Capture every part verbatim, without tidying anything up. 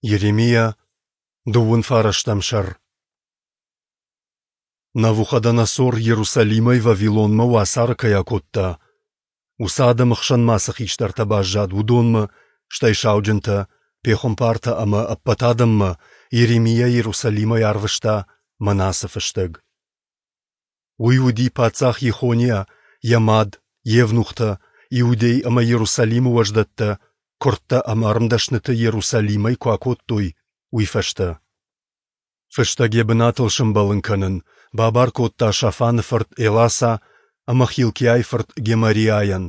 Йеремиа, дыууын фарӕстӕм сӕр. Навуходоносор Иерусалимӕй Вавилонмӕ уацары кӕй акодта, уыцы адӕмы хсӕн ма цы хистӕртӕ баззад, уыдонмӕ, стӕй сауджынтӕ, пехуымпартӕ ӕмӕ ӕппӕт адӕммӕ Йеремиа Иерусалимӕй арвыста мӕнӕ ацы фыстӕг. Уый уыди паддзах Йехониа, йӕ мад, евнухтӕ, Иудей ӕмӕ Иерусалимы уӕздӕттӕ, куырдтӕ ӕмӕ ӕрмдӕсныты Иерусалимӕй куы акодтой, уый фӕстӕ. Фыстӕг йӕ бынатыл сӕмбӕлын кӕнын бабар кодта Шафаны фырт Эласа ӕмӕ Хилкиайы фырт Гемариайӕн,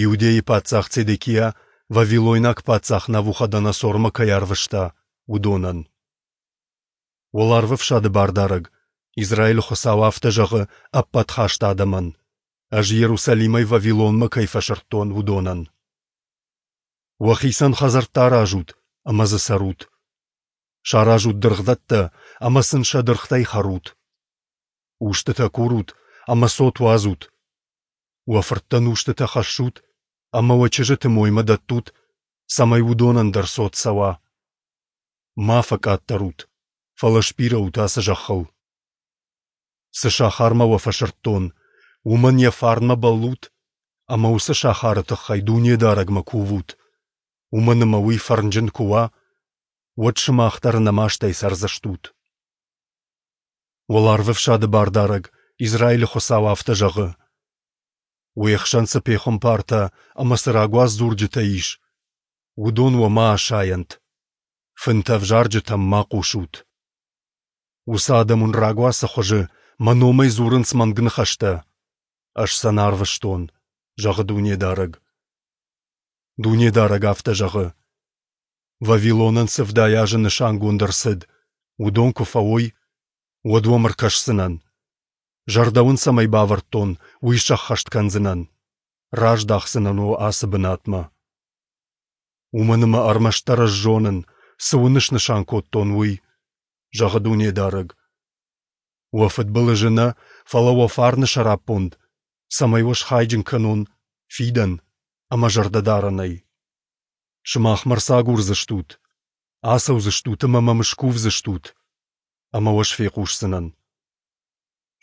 Иудейы паддзах Цедекиа вавилойнаг паддзах Навуходоносормӕ кӕй арвыста, уыдонӕн. Уӕларвӕфсады Бардарӕг, Израилы Хуыцау афтӕ зӕгъы ӕппӕт хаст адӕмӕн, ӕз Иерусалимӕй Вавилонмӕ кӕй фӕсырдтон, уыдонӕн: Уӕхицӕн хӕдзӕрттӕ аразут ӕмӕ дзы цӕрут. Саразут дыргъдӕттӕ ӕмӕ сын сӕ дыргътӕй хӕрут. Устытӕ курут ӕмӕ цот уадзут. Уӕ фырттӕн устытӕ хӕссут ӕмӕ уӕ чызджыты моймӕ дӕттут, цӕмӕй уыдонӕн дӕр цот цӕуа. Ма фӕкъаддӕр ут, фӕлӕ сбирӕ ут ацы зӕххыл. Цы сахармӕ уӕ фӕсырдтон, уымӕн йӕ фарнмӕ бӕллут ӕмӕ уыцы сахары тыххӕй Дунедарӕгмӕ кувут, уымӕн ӕмӕ уый фӕрнджын куы уа, уӕд сымах дӕр ӕнӕмастӕй цӕрдзыстут. Уӕларвӕфсады Бардарӕг, Израилы Хуыцау афтӕ зӕгъы: Уе хсӕн цы пехуымпартӕ ӕмӕ цы рагуац дзурджытӕ ис, уыдон уӕ ма асайӕнт. Фынтӕ ӕвзарджытӕм ма хъусут. Уыцы адӕм уын рагуацы хуызы мӕ номӕй дзурынц мӕнг ныхӕстӕ. Ӕз сӕ нӕ арвыстон, зӕгъы Дунедарӕг. Дунедарӕг афтӕ зӕгъы: Вавилонӕн цы ӕвдай азы нысангонд ӕрцыд, уыдон куы фӕуой, уӕд уӕм ӕркӕсдзынӕн. Зӕрдӕ уын цӕмӕй бавӕрдтон, уый сӕххӕст кӕндзынӕн. Раздахдзынӕн уӕ ацы бынатмӕ. Уымӕн ӕмӕ ӕрмӕстдӕр ӕз зонын, цы уын снысан кодтон, уый, зӕгъы Дунедарӕг. Уӕ фыдбылызы нӕ, фӕлӕ уӕ фарны сӕраппонд, цӕмӕй уӕ схайджын кӕнон фидӕн ӕмӕ зӕрдӕдарӕнӕй. Сымах мӕ ӕрцагурдзыстут, ацӕудзыстут ӕмӕ мӕм скувдзыстут, ӕмӕ уӕ фехъусдзынӕн.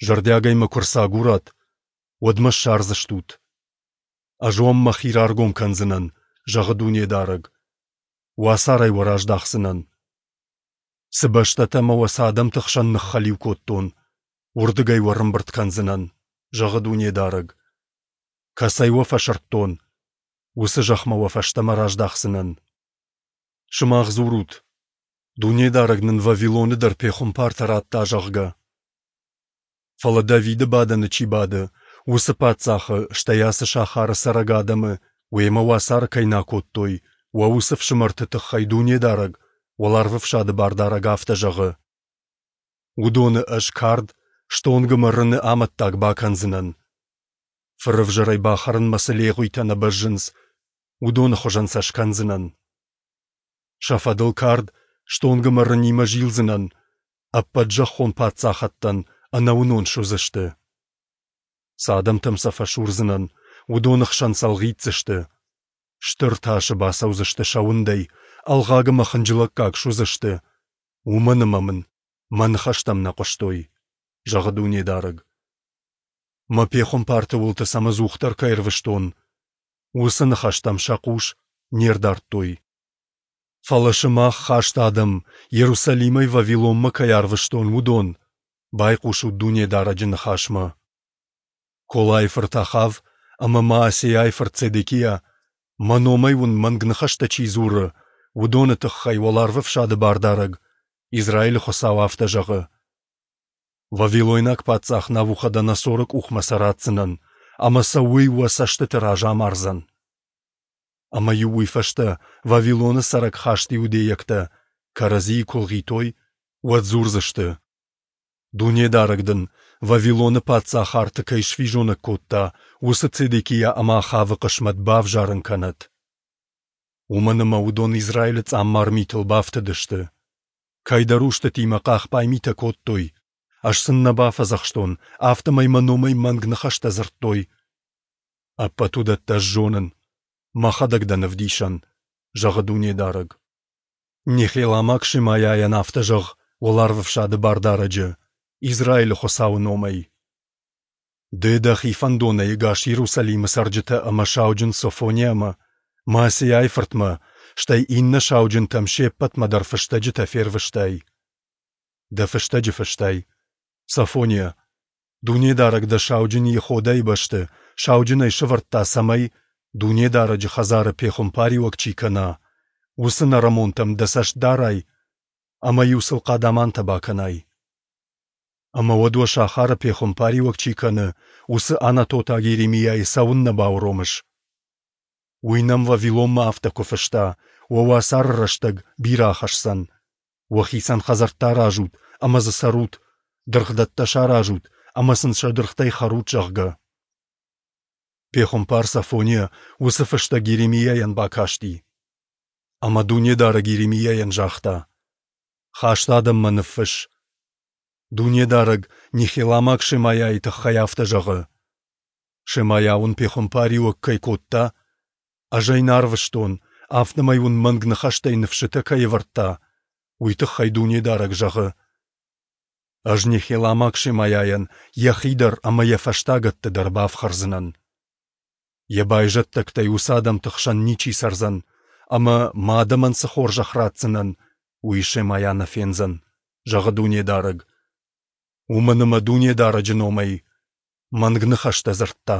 Зӕрдиагӕй мӕ куы ӕрцагурат, уӕд мӕ ссардзыстут. Ӕз уӕм мӕхи раргом кӕндзынӕн, зӕгъы Дунедарӕг. Уацарӕй уӕ раздахдзынӕн. Цы бӕстӕтӕ ӕмӕ уӕ цы адӕмты хсӕн ныххӕлиу кодтон, уырдыгӕй уӕ ӕрӕмбырд кӕндзынӕн, зӕгъы Дунедарӕг. Кӕцӕй уӕ фӕсырдтон, уыцы зӕхмӕ уӕ фӕстӕмӕ раздахдзынӕн. Сымах дзурут, Дунедарӕг нын Вавилоны дӕр пехуымпартӕ радта, зӕгъгӕ. Фӕлӕ Давиды бадӕны чи бады, уыцы паддзахы, стӕй ацы сахары цӕрӕг адӕмы уемӕ уацары кӕй нӕ акодтой, уӕ уыцы фсымӕрты тыххӕй Дунедарӕг, Уӕларвӕфсады Бардарӕг афтӕ зӕгъы: Уыдоны ӕз кард, стонг ӕмӕ рыны амӕттаг бакӕндзынӕн. Фырӕвзӕрӕй бахӕрынмӕ цы легъуитӕ нӕ бӕззынц, уыдоны хуызӕн сӕ скӕндзынӕн. Сӕ фӕдыл кард, стонг ӕмӕ рынимӕ зилдзынӕн, ӕппӕт зӕххон паддзахӕдтӕн ӕнӕуынон суыдзысты. Цы адӕмтӕм сӕ фӕсурдзынӕн, уыдоны хсӕн сӕ ӕлгъитдзысты. Стыр тасы бацӕудзысты сӕ уындӕй, ӕлгъаг ӕмӕ хынджылӕггаг суыдзысты, уымӕн ӕмӕ мын мӕ ныхӕстӕм нӕ хъуыстой, зӕгъы Дунедарӕг. Мӕ пехуымпарты уылты сӕм ӕдзухдӕр кӕй ӕрвыстон, уыцы ныхӕстӕм сӕ хъус не рдардтой. Фӕлӕ сымах, хаст адӕм, Иерусалимӕй Вавилонмӕ кӕй арвыстон, уыдон, байхъусут Дунедарӕджы ныхасмӕ. Колайы фырт Ахав ӕмӕ Маасейайы фырт Цедекиа, мӕ номӕй уын мӕнг ныхӕстӕ чи дзуры, уыдоны тыххӕй Уӕларвӕфсады Бардарӕг, Израилы Хуыцау афтӕ зӕгъы: Вавилойнаг паддзах Навуходоносоры къухмӕ сӕ ратдзынӕн, ӕмӕ сӕ уый уӕ цӕстыты раз амардзӕн. Ӕмӕ-иу уый фӕстӕ Вавилоны цӕрӕг хаст иудейӕгтӕ кӕрӕдзийы куы лгъитой, уӕд дзурдзысты: Дунедарӕг дын, Вавилоны паддзах арты кӕй сфизонӕг кодта, уыцы Цедекиа ӕмӕ Ахавы хъысмӕт бавзарын кӕнӕд. Уымӕн ӕмӕ уыдон Израилы цъаммар митыл бафтыдысты. Кӕйдӕр устытимӕ хъахбай митӕ кодтой, ӕз сын нӕ бафӕдзӕхстон, афтӕмӕй мӕ номӕй мӕнг ныхӕстӕ дзырдтой. Ӕппӕт уыдӕттӕ ӕз зонын, мӕхӕдӕг дӕн ӕвдисӕн, зӕгъы Дунедарӕг. Нехеламаг Шемайайӕн афтӕ зӕгъ Уӕларвӕфсады Бардарӕджы, Израилы Хуыцауы номӕй. Ды дӕхи фӕндонӕй ӕгас Иерусалимы цӕрджытӕ ӕмӕ сауджын Софониамӕ, Маасейайы фыртмӕ, стӕй иннӕ сауджынтӕм се ппӕтмӕ дӕр фыстӕджытӕ фервыстай. Дӕ фыстӕджы фыстай: Софониа, Дунедарӕг дӕ сауджын Йеходайы бӕсты сауджынӕй сӕвӕрдта, цӕмӕй, Дунедарӕджы хӕдзары пехуымпариуӕг чи кӕна, уыцы нӕрӕмонтӕм дӕ цӕст дарай ӕмӕ-иу сыл хъадамантӕ бакӕнай. Ӕмӕ уӕд уӕ сахары пехуымпариуӕг чи кӕны, уыцы анатотаг Йеремиайы цӕуыннӕ бауромыс? Уый нӕм Вавилонмӕ афтӕ куы фыста: Уӕ уацары рӕстӕг бирӕ ахӕсдзӕн. Уӕхицӕн хӕдзӕрттӕ аразут ӕмӕ дзы цӕрут, дыргъдӕттӕ саразут ӕмӕ сын сӕ дыргътӕй хӕрут, зӕгъгӕ. Пехуымпар Софониа уыцы фыстӕг Йеремиайӕн бакасти. Ӕмӕ Дунедарӕг Йеремиайӕн загъта: Хаст адӕммӕ ныффысс. Дунедарӕг нехеламаг Шемайайы тыххӕй афтӕ зӕгъы: Шемайа уын пехуымпариуӕг кӕй кодта, ӕз ӕй нӕ арвыстон, афтӕмӕй уын мӕнг ныхӕстӕй ныфсытӕ кӕй ӕвӕрдта, уый тыххӕй Дунедарӕг зӕгъы: Ӕз нехеламаг Шемайайӕн йӕхи дӕр ӕмӕ йӕ фӕстагӕтты дӕр бафхӕрдзынӕн. Йӕ байзӕддӕгтӕй уыцы адӕмты хсӕн ничи цӕрдзӕн, ӕмӕ мӕ адӕмӕн цы хорзӕх ратдзынӕн, уый Шемайа нӕ фендзӕн, зӕгъы Дунедарӕг. Уымӕн ӕмӕ Дунедарӕджы номӕй мӕнг ныхӕстӕ дзырдта.